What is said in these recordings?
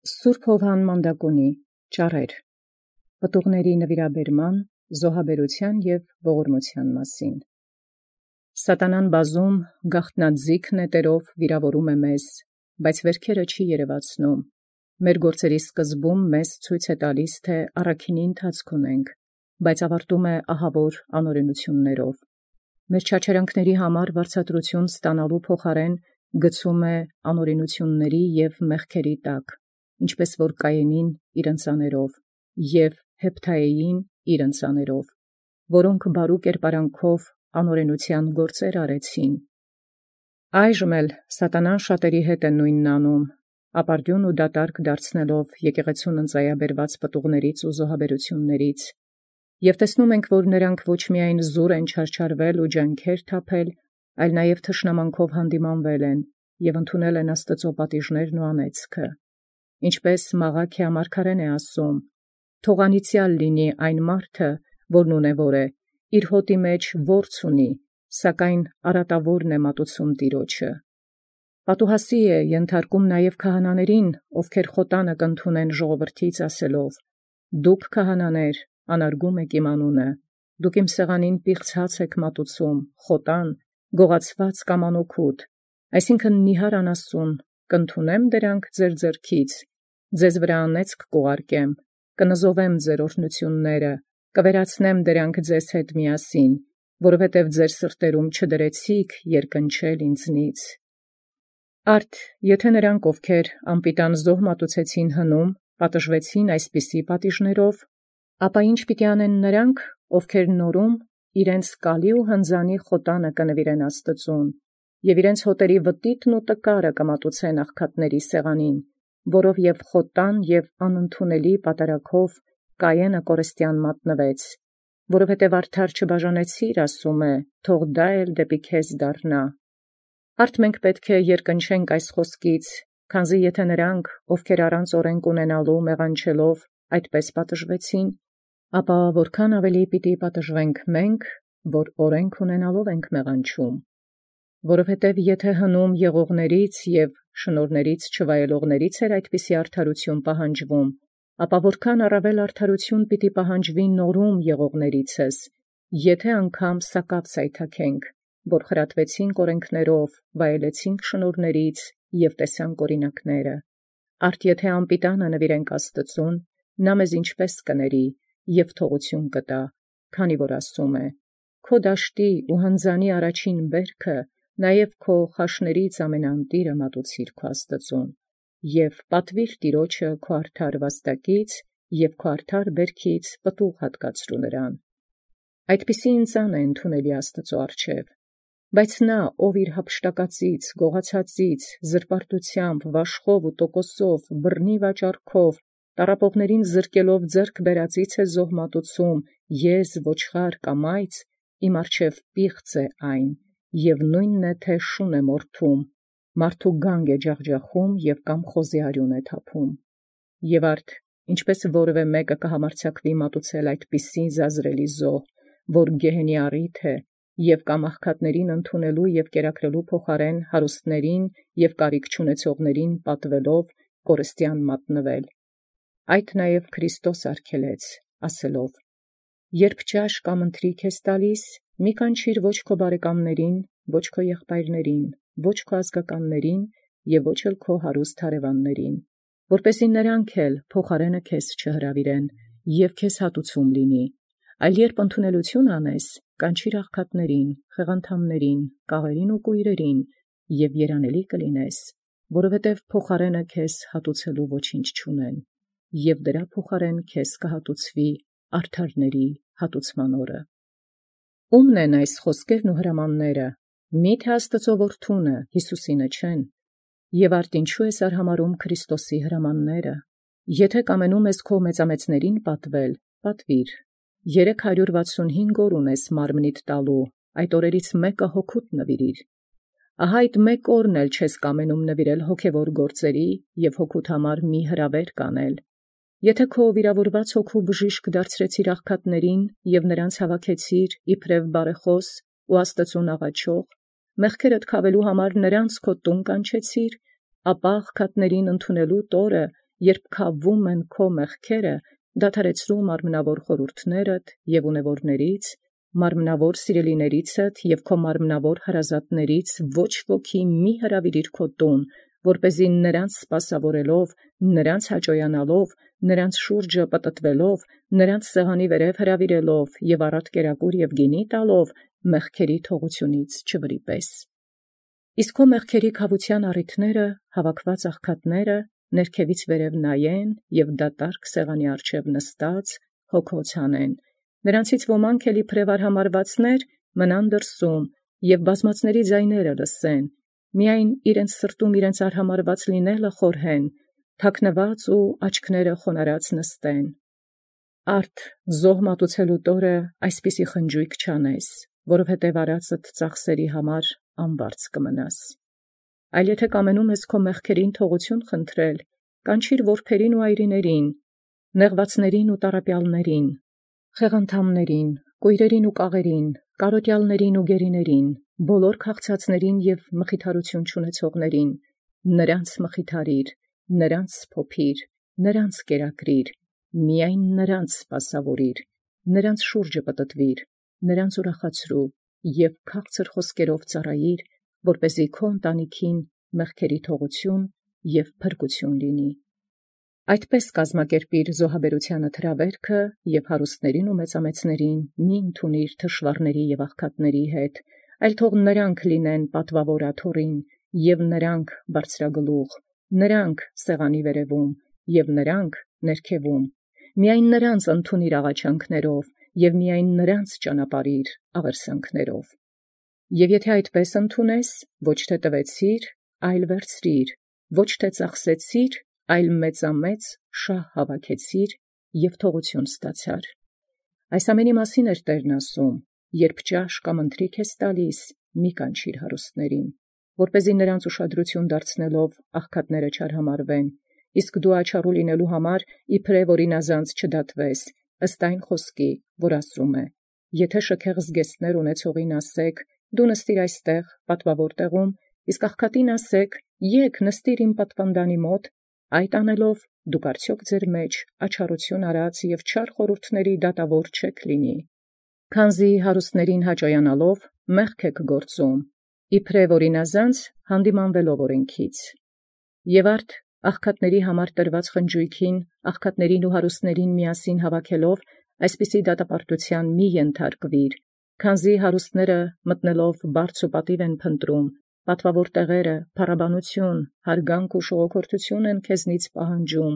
Սուրբ Հովհան Մանդակունի ճառեր պտուղների նվիրաբերման, զոհաբերության և ողորմության մասին։ Սատանան բազում գաղտնաձիգ նետերով վիրավորում է մեզ, բայց վերքերը չի երևացնում։ Մեր գործերի սկզբում մեզ ցույց է տալիս, թե առաքինի ընթացք ունենք, բայց ավարտում է ահավոր անօրենություններով։ Մեր չարչարանքների համար վարձատրություն ստանալու փոխարեն գցում է անօրենությունների և մեղքերի տակ, ինչպես որ Կայենին իր ընծաներով և Հեփթայեին իր ընծաներով, որոնք բարու կերպարանքով անօրենության գործեր արեցին։ Այժմ էլ սատանան շատերի հետ է նույնն անում, ապարդյուն ու դատարկ դարձնելով եկեղեցուն ընծայաբերված պտուղներից ու զոհաբերություններից, և տեսնում ենք, որ նրանք ոչ միայն զուր են չարչարվել ու ջանքեր թափել, այլ նաև թշնամանքով հանդիմանվել են և ընդունել են Աստծո պատիժներն ու անեծքը։ Ինչպես Մաղաքիա մարգարեն է ասում. «Թող անիծյալ լինի այն մարդը, որն ունևոր է, իր հոտի մեջ որց ունի, սակայն արատավորն է մատուցում Տիրոջը»։ Պատուհասի է ենթարկում նաև քահանաներին, ովքեր խոտանը կընդունեն ժողովրդից ասելով. «Դուք քահանաներ, անարգում եք իմ անունը, դուք իմ սեղանին պիղծ հաց եք մատուցում, խոտան, գողացված կամ անօգուտ, այսինքն նիհար անասուն, կընդունեմ դրանք ձեր ձեռքից, ձեզ վրա անեծք կուղարկեմ, կնզովեմ ձեր օրհնությունները, կվերացնեմ դրանք ձեզ հետ միասին, որովհետև ձեր սրտերում չդրեցիք երկնչել ինձնից»։ Արդ եթե նրանք, ովքեր անպիտան զոհ մատուցեցին հնում, պատժվեցին այսպիսի պատիժներով, ապա ինչ պիտի անեն նրանք, ովքեր նորում իրենց կալի ու հնձանի խոտանը կնվիրեն Աստծուն, և իրենց հոտերի վտիտն ու տկարը կմատուցեն աղքատների սեղանին, որով և խոտան և անընդունելի պատարագով Կայենը կորստյան մատնվեց, որովհետև արդար չբաժանեցիր, ասում է, թող դա էլ դեպի քեզ դառնա։ Արդ մենք պետք է երկնչենք այս խոսքից, քանզի եթե նրանք, ովքեր առանց օրենք ունենալու մեղանչելով, այդպես պատժվեցին, ապա որքան ավելի պիտի պատժվենք մենք, որ օրենք ունենալով ենք մեղանչում։ Որովհետև եթե հնում եղողներից և շնորհներից չվայելողներից էր այդպիսի արդարություն պահանջվում, ապա որքան առավել արդարություն պիտի պահանջվի նորում եղողներիցս, եթե անգամ սակավ սայթաքենք, որ խրատվեցինք օրենքներով, վայելեցինք շնորհներից և տեսանք օրինակները։ Արդ եթե անպիտանը նվիրենք Աստծուն, նա մեզ ինչպես կների և թողություն կտա, քանի որ ասում է. «Քո դաշտի ու հնձանի առաջին բերքը, նաև քո խաշներից ամենաընտիրը մատուցիր քո Աստծուն, և պատվիր Տիրոջը քո արդար վաստակից և քո արդար բերքից պտուղ հատկացրու նրան»։ Այդպիսի ընծան է ընդունելի Աստծո առջև։ Բայց նա, ով իր հափշտակածից, գողացածից, զրպարտությամբ, վաշխով ու տոկոսով, բռնի վաճառքով, տառապողներին զրկելով ձեռք բերածից է զոհ մատուցում, եզ, ոչխար կամ այծ, իմ առջև պիղծ է այն, և նույնն է, թե շուն է մորթում, մարդու գանգ է ջախջախում և կամ խոզի արյուն է թափում։ Եվ արդ, ինչպես որևէ մեկը կհամարձակվի մատուցել այդպիսի զազրելի զոհ, որ գեհենի առիթ է, և կամ աղքատներին ընդունելու և կերակրելու փոխարեն հարուստներին և կարիք չունեցողներին պատվելով կորստյան մատնվել։ Այդ նաև Քրիստոս արգելեց, ասելով. «Երբ ճաշ կամ ընթրիք ես տալիս, մի կանչիր ոչ քո բարեկամներին, ոչ քո եղբայրներին, ոչ քո ազգականներին և ոչ էլ քո հարուստ հարևաններին, որպեսզի նրանք էլ փոխարենը քեզ չհրավիրեն և քեզ հատուցում լինի, այլ երբ ընդունելություն անես, կանչիր աղքատներին, խեղանդամներին, կաղերին ու կույրերին, և երանելի կլինես, որովհետև փոխարենը քեզ հատուցելու ոչինչ չունեն, և դրա փոխարեն քեզ կհատուցվի արդարների հատուցման օրը»։ Ո՞ւմն են այս խոսքերն ու հրամանները, միթե Աստծո որդունը, Յիսուսինը չեն։ Եվ արդ ինչու ես արհամարհում Քրիստոսի հրամանները։ Եթե կամենում ես քո մեծամեծներին պատվել, պատվիր։ 365 օր ունես մարմնիդ տալու, այդ օրերից մեկը հոգուտ նվիրիր։ Ահա այդ մեկ օրն էլ չես կամենում նվիրել հոգևոր գործերի և հոգուտ համար մի հրավեր կանել։ Եթե քո վիրավորված հոգու բժիշկ դարձրեցիր աղքատներին և նրանց հավաքեցիր իբրև բարեխոս ու Աստծուն աղաչող, մեղքերդ քավելու համար նրանց քո տուն կանչեցիր, ապա աղքատներին ընդունելու տորը երբ քավում են քո մեղքերը, դադարեցրու մարմնավոր խորհուրդներդ և ունևորներից, մարմնավոր սիրելիներիցդ և քո մարմնավոր հարազատներից ոչ ոքի մի հրավիրիր քո տուն, որպեսզի նրանց սպասավորելով, նրանց հաճոյանալով, նրանց շուրջը պտտվելով, նրանց սեղանի վերև հրավիրելով և առատ կերակուր և գինի տալով, մեղքերի թողությունից չվրիպես։ Իսկ քո մեղքերի քավության առիթները, հավաքված աղքատները, ներքևից վերև նայեն և դատարկ սեղանի առջև նստած հոգոց հանեն։ Նրանցից ոմանք էլ իբրև արհամարհվածներ մնան դրսում և բազմացների ձայները լսեն, միայն իրենց սրտում իրենց արհամարհված լինելը խորհեն, թաքնված ու աչքները խոնարհած նստեն։ Արդ զոհ մատուցելուդ օրը այսպիսի խնջույք չանես, որովհետև արածդ ծախսերի համար անվարձ կմնաս։ Այլ եթե կամենում ես քո մեղքերին թողություն խնդրել, կանչիր որբերին ու այրիներին, նեղվածներին ու տառապյալներին, խեղանդամներին, կույրերին ու կաղերին, կարոտյալներին ու գերիներին, բոլոր քաղցածներին և մխիթարություն չունեցողներին, նրանց մխիթարիր, նրանց սփոփիր, նրանց կերակրիր, միայն նրանց սպասավորիր, նրանց շուրջը պտտվիր, նրանց ուրախացրու և քաղցր խոսքերով ծառայիր, որպեսզի քո ընտանիքին մեղքերի թողություն և փրկություն լինի։ Այդպես կազմակերպիր զոհաբերութեանը թրավերքը և հարուստներին ու մեծամեծներին մի ընդունիր թշվառների և աղքատների հետ, այլ թող նրանք լինեն պատվավոր աթոռին, և նրանք բարձրագլուխ, նրանք սեղանի վերևում, և նրանք ներքևում, միայն նրանց ընդունիր աղաչանքներով, և միայն նրանց ճանապարհիր աղերսանքներով։ Եվ եթե այդպես ընդունես, ոչ թե տվեցիր, այլ վերցրիր, ոչ թե ծախսեցիր, այլ մեծամեծ շահ հավաքեցիր և թողություն ստացար։ Այս ամենի մասին էր Տերն ասում. երբ ճաշ կամ ընթրիք ես տալիս, մի կանչիր հարուստներին, որպեսզի նրանց ուշադրություն դարձնելով աղքատները չարհամարվեն, իսկ դու աչառու լինելու համար իբրև օրինազանց չդատվես, ըստ այն խոսքի, որ ասում է. եթե շքեղ զգեստներ ունեցողին ասեք, դու նստիր այստեղ պատվավոր տեղում, իսկ աղքատին ասեք, եկ նստիր իմ պատվանդանի մոտ, այդ անելով դուք արդյոք ձեր մեջ աչառություն արած և չար խորհուրդների դատավոր չեք լինի, քանզի հարուստներին հաճոյանալով մեղք եք գործում, իբրև օրինազանց հանդիմանվելով օրենքից։ Եվ արդ աղքատների համար տրված խնջույքին, աղքատներին ու հարուստներին միասին հավաքելով, այսպիսի դատապարտութեան մի ենթարկվիր, քանզի հարուստները մտնելով բարձ ու պատիվ են փնտրում, պատվավոր տեղերը, փառաբանություն, հարգանք ու շողոքորթություն են քեզնից պահանջում,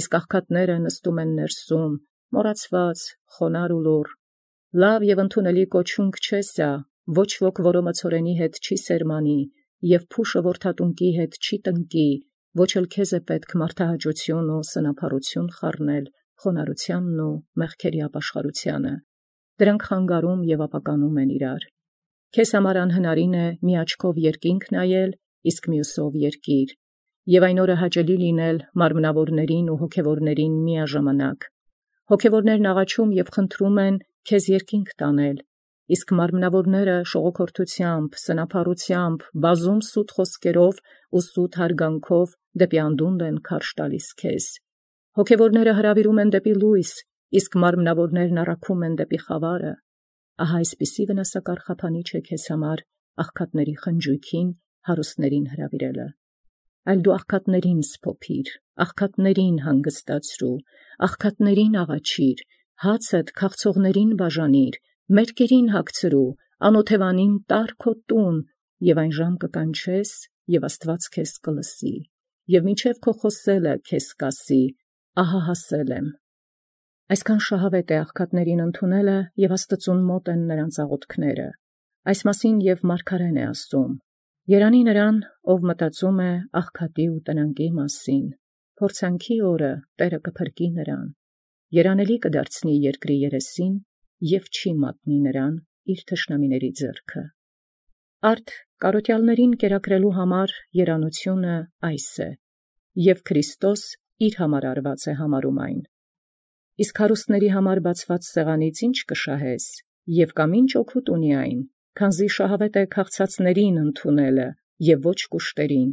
իսկ աղքատները նստում են ներսում, մոռացված, խոնարհ ու լուռ։ Լավ և ընդունելի կոչունք չէ սա, ոչ ոք որո մցորենի հետ չի սերմանի, և փուշը որդատունկի հետ չի տնկի, ոչ էլ քեզ է պետք մարդահաճություն ու սնափառություն խառնել խոնարհությանն ու մեղքերի ապաշխարությանը։ Դրանք խանգարում և ապականում են իրար։ Քեզ համար անհնարին է մի աչքով երկինք նայել, իսկ մյուսով երկիր, և այն օրը հաճելի լինել մարմնավորներին ու հոգևորներին միաժամանակ։ Հոգևորներն աղաչում և խնդրում են քեզ երկինք տանել, իսկ մարմնավորները շողոքորթությամբ, սնափառությամբ, բազում սուտ խոսքերով ու սուտ հարգանքով դեպի անդունդ են քարշ տալիս քեզ։ Հոգևորները հրավիրում են դեպի լույս, իսկ մարմնավորներն առաքում են դեպի խավարը։ Ահա այսպիսի վնասակար խափանիչ է քեզ համար աղքատների խնջույքին հարուստներին հրավիրելը։ Այլ դու աղքատներին սփոփիր, աղքատներին հանգստացրու, աղքատներին աղաչիր, հացդ քաղցողներին բաժանիր, մերկերին հագցրու, անօթևանին տար քո տուն, և այն ժամ կկանչես, և Աստված քեզ կլսի, և մինչև քո խոսելը քեզ կասի. ահա հասել եմ։ Այսքան շահավետ է աղքատներին ընդունելը, և Աստծուն մոտ են նրանց աղոթքները։ Այս մասին և մարգարեն է ասում. երանի նրան, ով մտածում է աղքատի ու տնանկի մասին, փորձանքի օրը Տէրը կփրկի նրան, երանելի կդարձնի երկրի երեսին և չի մատնի նրան իր թշնամիների ձեռքը։ Արդ կարոտյալներին կերակրելու համար երանությունը այս է, և Քրիստոս իր համար արված է համարում այն։ Իսկ հարուստների համար բացված սեղանից ի՞նչ կշահես, և կամ ի՞նչ օգուտ ունի այն, քանզի շահավետ է քաղցածներին ընդունելը, և ոչ կուշտերին,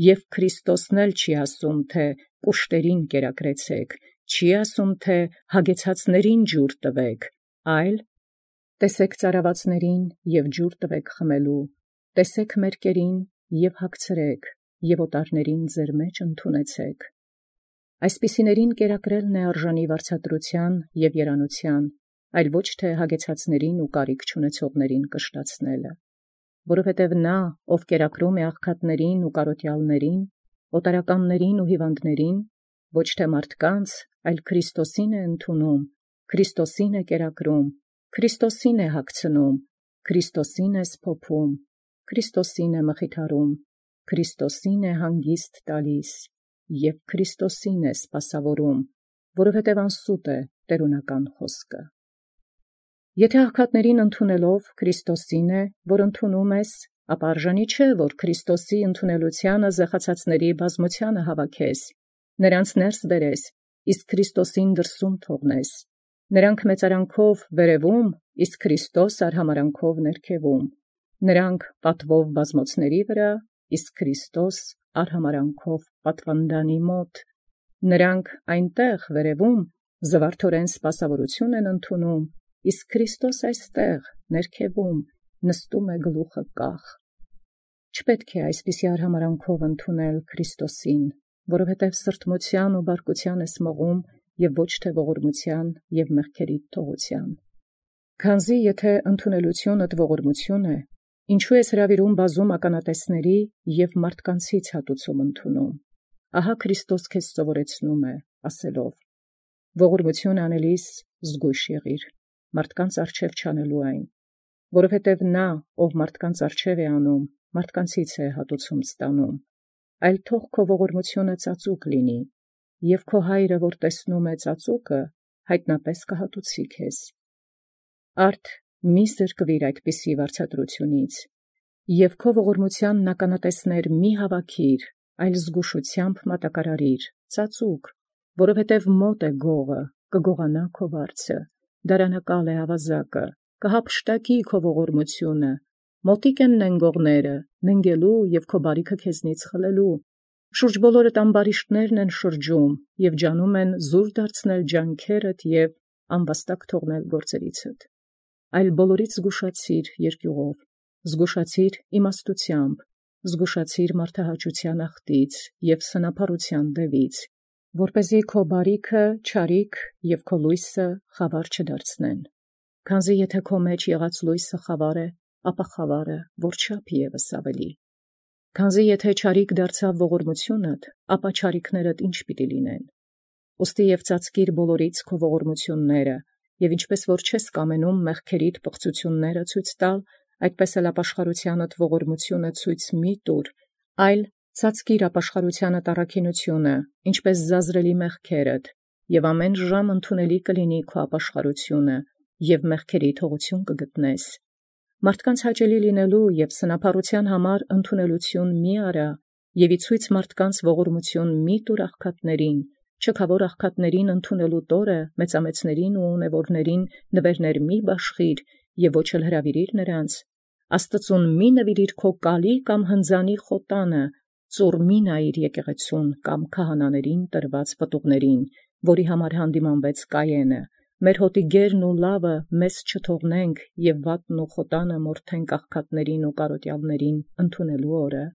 և Քրիստոսն էլ չի ասում, թե կուշտերին կերակրեցեք, չի ասում թե հագեցածներին ջուր տվեք, այլ տեսեք ծարավացներին և ջուր տվեք խմելու, տեսեք մերկերին և հագցրեք, և օտարներին ձեր մեջ ընդունեցեք։ Այսպիսիներին կերակրելն է արժանի վարձատրության և երանության, այլ ոչ թե հագեցածներին ու կարիք չունեցողներին կշտացնելը, որովհետև նա, ով կերակրում է աղքատներին ու կարոտյալներին, օտարականներին ու հիվանդներին, ոչ թե մարդկանց, այլ Քրիստոսին է ընդունում, Քրիստոսին է կերակրում, Քրիստոսին է հագցնում, Քրիստոսին է սփոփում, Քրիստոսին է մխիթարում, Քրիստոսին է հանգիստ տալիս և Քրիստոսին է սպասավորում, որովհետև անսուտ է տերունական խոսքը։ Եթե աղքատներին ընդունելով Քրիստոսին է, որ ընդունում ես, ապա արժանի չէ, որ Քրիստոսի ընդունելությանը զղացածների բազմությանը հավաքես, նրանց ներս բերես, իսկ Քրիստոսին դրսում թողնես, նրանք մեծարանքով վերևում, իսկ Քրիստոս արհամարանքով ներքևում, նրանք պատվով բազմոցների վրա, իսկ Քրիստոս արհամարանքով պատվանդանի մոտ, նրանք այնտեղ վերևում զվարթորեն սպասավորություն են ընդունում, իսկ Քրիստոս այստեղ ներքևում նստում է գլուխը կախ։ Չպետք է այսպիսի արհամարանքով ընդունել Քրիստոսին, որովհետև սրտմության ու բարկության ես մղում և ոչ թե ողորմության և մեղքերի թողության։ Քանզի եթե ընդունելությունդ ողորմություն է, ինչու ես հրավիրում բազում ականատեսների և մարդկանցից հատուցում ընդունում։ Ահա Քրիստոս քեզ սովորեցնում է, ասելով. ողորմություն անելիս զգույշ եղիր, մարդկանց առջև չանելու այն, որովհետև նա, ով մարդկանց առջև է անում, մարդկանցից է հատուցում ստանում, այլ թող քո ողորմությունը ծածուկ լինի, և քո հայրը, որ տեսնում է ծածուկը, հայտնապես կհատուցի քեզ։ Արդ մի զրկվիր այդպիսի վարձատրությունից, և քո ողորմությանն ականատեսներ մի հավաքիր, այլ զգուշությամբ մատակարարիր, ծածուկ, որովհետև մոտ է գողը, կգողանա քո վարձը, դարանակալ է ավազակը, կհափշտակի քո ողորմությունը, մոտիկ են նենգողները, նենգելու և քո բարիքը քեզնից խլելու, շուրջ բոլորդ ամբարիշտներն են շրջում և ջանում են զուր դարձնել ջանքերդ և անվաստակ թողնել գործերիցդ, այլ բոլորից զգուշացիր երկյուղով, զգուշացիր իմաստությամբ, զգուշացիր մարդահաճության ախտից և սնափառության դևից, որպեսզի քո բարիքը չարիք և քո լույսը խավար չդարձնեն, քանզի եթե քո մեջ եղած լույսը խավար է, ապա խավարը որչափ ևս ավելի, քանզի եթե չարիք դարձավ ողորմությունդ, ապա չարիքներդ ինչ պիտի լինեն, ուստի և ծածկիր բոլորից քո ողորմությունները, և ինչպես որ չես կամենում մեղքերիդ պղծությունները ցույց տալ, այդպես էլ ապաշխարությանդ ողորմությունը ցույց մի տուր, այլ ծածկիր ապաշխարությանդ առաքինությունը, ինչպես զազրելի մեղքերդ, և ամեն ժամ ընդունելի կլինի քո ապաշխարությունը, և մեղքերի թողություն կգտնես։ Մարդկանց հաճելի լինելու և սնափառության համար ընդունելություն մի արա, և իցույց մարդկանց ողորմություն մի տուր աղքատներին, չքավոր աղքատներին ընդունելու տորը մեծամեծներին ու ունևորներին նվերներ մի բաշխիր և ոչ էլ հրավիրիր նրանց, Աստծուն մի նվիրիր քո կալի կամ հնձանի խոտանը, ծուռ մի նայիր եկեղեցուն կամ քահանաներին տրված պտուղներին, որի համար հանդիմանվեց Կայենը, մեր հոտի գերն ու լավը մեզ չթողնենք և վատն ու խոտանը մորթենք աղքատներին ու կարոտյալներին ընդունելու օրը,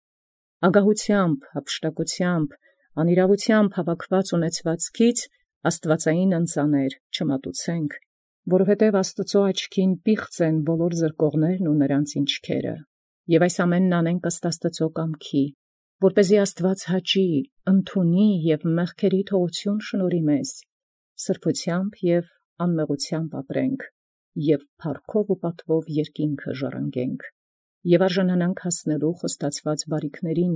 ագահությամբ, հափշտակությամբ, անիրավությամբ հավաքված ունեցվածքից աստվածային ընծաներ չմատուցենք, որովհետև Աստծո աչքին պիղծ են բոլոր զրկողներն ու նրանց ինչքերը, և այս ամենն անենք ըստ Աստծո կամքի, որպեսզի Աստված հաճի, ընդունի և մեղքերի թողություն շնորհի մեզ, սրբությամբ և անմեղությամբ ապրենք, և փառքով ու պատվով երկինքը ժառանգենք, և արժանանանք հասնելու խոստացված բարիքներին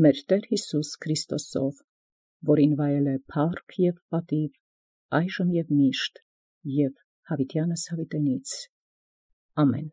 մեր Տեր Հիսուս Քրիստոսով, որին վայել է փառք և պատիվ, այժմ և միշտ, և հավիտյանս հավիտենից։ Ամեն։